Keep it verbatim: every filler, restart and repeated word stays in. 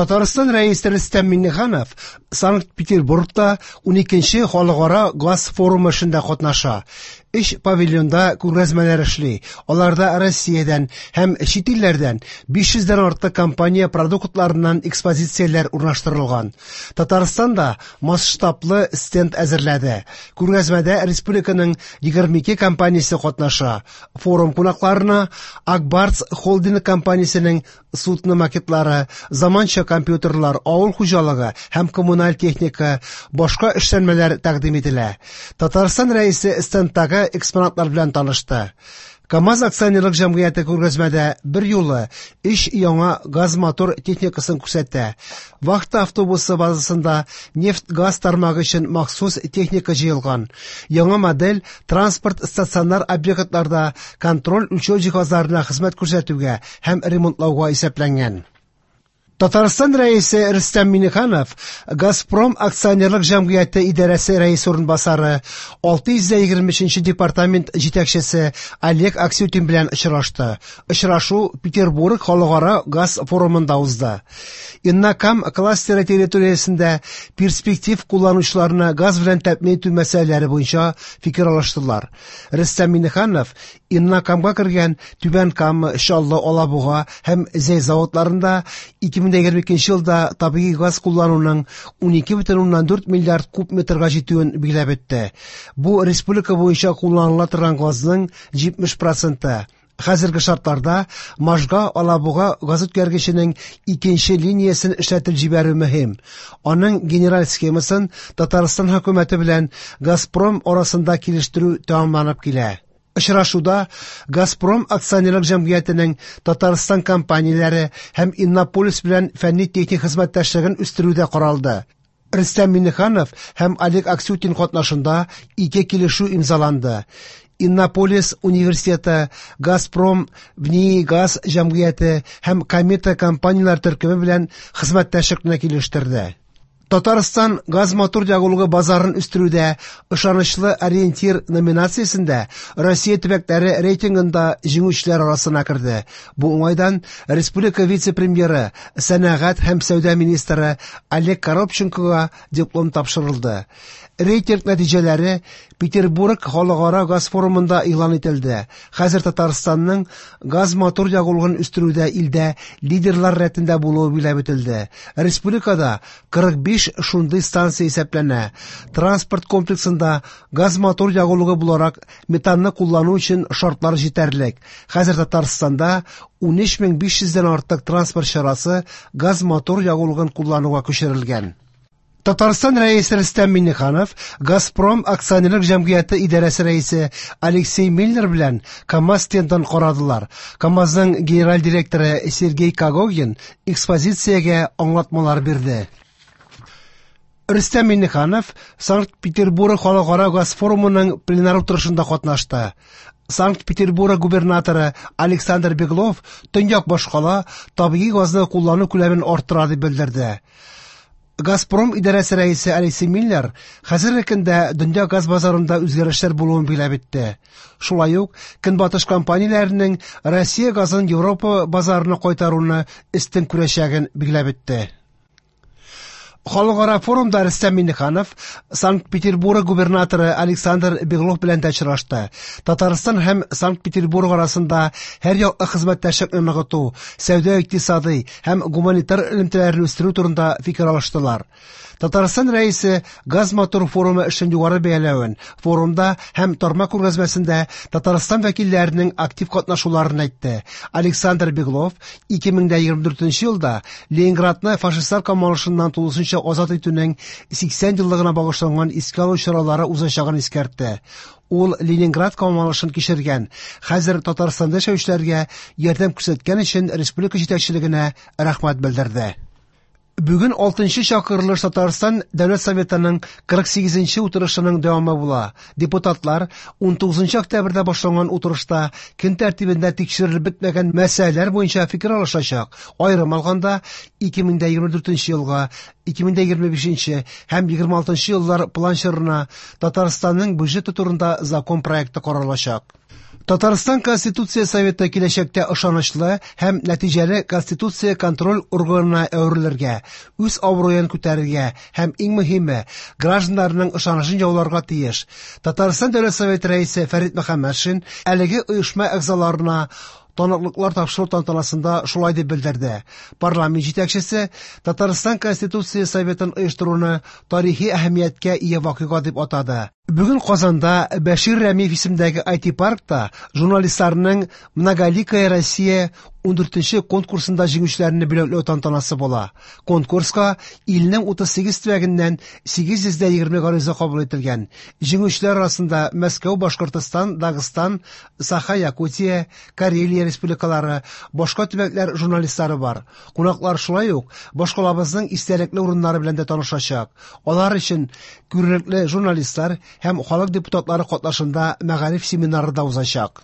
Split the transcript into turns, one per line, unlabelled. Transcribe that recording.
Татарстан Рәисе Рөстәм Миңнеханов Санкт-Петербургта уникенче халыкара газ форумы эшендә катнаша. Өч павильонда күргәзмәләр эшли. Аларда Россиядән һәм чит илләрдән биш йөздән артык компания продуктларыннан экспозицияләр урнаштырылган. Татарстан да масштаблы стенд әзерләде. Күргәзмәдә республиканың егерме ике компаниясе катнаша. Форум кунакларына Ак Барс холдинг компаниясенең судно макетлары, заманча компьютерлар, авыл хуҗалыгы һәм коммуналь техника, башка эшләнмәләр тәкъдим ителә. Татарстан Рәисе стендтагы экспонатлар белән танышты. КАМАЗ акционерлык җәмгыяте күргәзмәдә бер юлы өч яңа газ-мотор техникасын күрсәтә. Вахта автобусы базасында нефть-газ тармагы өчен махсус техника җыелган. Яңа модель транспорт стационар объектларда контроль үлчәү җиһазларына хезмәт күрсәтүгә һәм ремонтлауга исәпләнгән. Татарстан Рәисе Рөстәм Миңнеханов Газпром акционерлык җәмгыяте идарәсе рәисе урынбасары, алты йөз егерме өченче департамент җитәкчесе Олег Аксютин белән очрашты. Очрашу Петербург халыкара газ форумында узды. Иннокам кластеры территориясендә перспектив кулланучыларны газ белән тәэмин итү мәсьәләләре буенча фикер алыштылар. Рөстәм Миңнеханов Иннокамга кергән Түбән Кама, Чаллы, Алабуга һәм Зәй заводларында ике мең егерме икенче елда табигый газ куллануның унике бөтен уннан дүрт миллиард куб метрга җитүен билгеләп үтте. Бу республика буенча кулланыла торган газның җитмеш проценты. Хәзерге шартларда Можга Алабуга газ үткәргеченең икенче линиясен эшләтеп җибәрү мөһим. Аның генераль схемасын Татарстан хөкүмәте белән Газпром арасында килештерү тәмамланып килә. Очрашуда Газпром акционерлык җәмгыятенең Татарстан компанияләре һәм Иннополис белән фәнни-техник хезмәттәшлеген үстерү дә каралды. Рөстәм Миңнеханов һәм Олег Аксютин катнашында ике килешү имзаланды. Иннополис университеты, Газпром, ВНИИГАЗ җәмгыяте һәм Комета компанияләр төркеме белән хезмәттәшлекне килештерде. Татарстан газ-мотор ягулыгы базарын үстерүдә ышанычлы ориентир номинациясендә Россия төбәкләре рейтингында җиңүчеләр арасына керде. Бу уңайдан республика вице-премьеры, сәнәгать һәм сәүдә министры Олег Коробченкога диплом тапшырылды. Рейтинг нәтиҗәләре Петербург халыкара газ форумында игълан ителде. Хәзер Татарстанның газ-мотор ягулыгын үстерүдә илдә лидерлар рәтендә булуы билгеләп үтелде. Республикада кырык биш шундый станция исәпләнә. Транспорт комплексында газ-мотор ягулыгы буларак метанны куллану өчен шартлар җитәрлек. Хәзер Татарстанда унөч мең биш йөздән артык транспорт чарасы газ-мотор ягулыгын куллануга күчерелгән. Татарстан Рәисе Рөстәм Миңнеханов Газпром акционерлык җәмгыяте идарәсе рәисе Алексей Миллер белән КАМАЗ стендын карадылар. КАМАЗның генераль директоры Сергей Когогин экспозициягә аңлатмалар бирде. Рөстәм Миңнеханов Санкт-Петербург халыкара газ форумының пленар утырышында катнашты. Санкт-Петербург губернаторы Александр Беглов төньяк башкала табигый газны куллану күләмен арттыра дип белдерде. Газпром идарәсе рәисе Алексей Миллер хәзерге көндә дөнья газ базарында үзгәрешләр булуын билгеләп үтте. Шулай ук көнбатыш компанияләренең Россия газын Европа базарына кайтаруны өстен күрәчәген билгеләп үтте. Халыкара форумда Рөстәм Миңнеханов Санкт-Петербург губернаторы Александр Беглов белән дә очрашты. Татарстан һәм Санкт-Петербург арасында һәр яклы хезмәттәшлекне ныгыту, сәүдә-икътисадый һәм гуманитар элемтәләрне үстерү турында фикер алыштылар. Татарстан Рәисе газ-мотор форумы эшен югары бәяләвен, форумда һәм тармак күргәзмәсендә Татарстан вәкилләренең актив катнашуларын әйтте. Александр Беглов ике мең дә егерме дүртенче елда Ленинградны фашистлар камалышыннан тулысынча азат итүнең сиксән еллыгына багышланган искә алу чаралары узачагын искәртте. Ул Ленинград камалышын кичергән, хәзер Татарстанда яшәүчеләргә ярдәм күрсәткән өчен республика җитәкчелегенә рәхмәт белдерде. Бүген алтынчы чакырылыш Татарстан Дәүләт Советының кырык сигезенче утырышының дәвамы була. Депутатлар унтугызынчы октябрьдә башланган утырышта көн тәртибендә тикшерелеп бетмәгән мәсьәләләр буенча фикер алышачак. Аерым алганда, ике мең дә егерме дүртенче елга, ике мең дә егерме бишенче һәм егерме алтынчы еллар план чорына Татарстанның бюджеты турында закон проекты каралачак. Татарстан Конституция Советы киләчәктә ышанычлы һәм нәтиҗәле конституция контроль органына әверелергә, үз абруен күтәрергә һәм, иң мөһиме, гражданнарның ышанычын яуларга тиеш. Татарстан Дәүләт Советы Рәисе Фәрит Мөхәммәтшин әлеге оешма әгъзаларына таныклыклар тапшыру тантанасында шулай дип белдерде. Парламент җитәкчесе Татарстан Конституция Советын оештыруны тарихи әһәмияткә ия вакыйга дип атады. Бүген Казанда Бәшир Рәмиев исемендәге ай ти-паркта журналистларның Многоликая Россия ундүртенче конкурсында җиңүчеләрне бүләкләү тантанасы була. Конкурска илнең утыз сигез төбәгеннән сигез йөз дә егерме гариза кабул ителгән. Җиңүчеләр арасында Мәскәү, Башкортостан, Дагыстан, Саха, Якутия, Карелия республикалары, башка төбәкләр журналистлары бар. Кунаклар шулай ук башкалабызның истәлекле урыннары белән дә танышачак. Алар өчен күренекле журналистлар һәм халык депутатлары катнашында мәгариф семинары да узачак.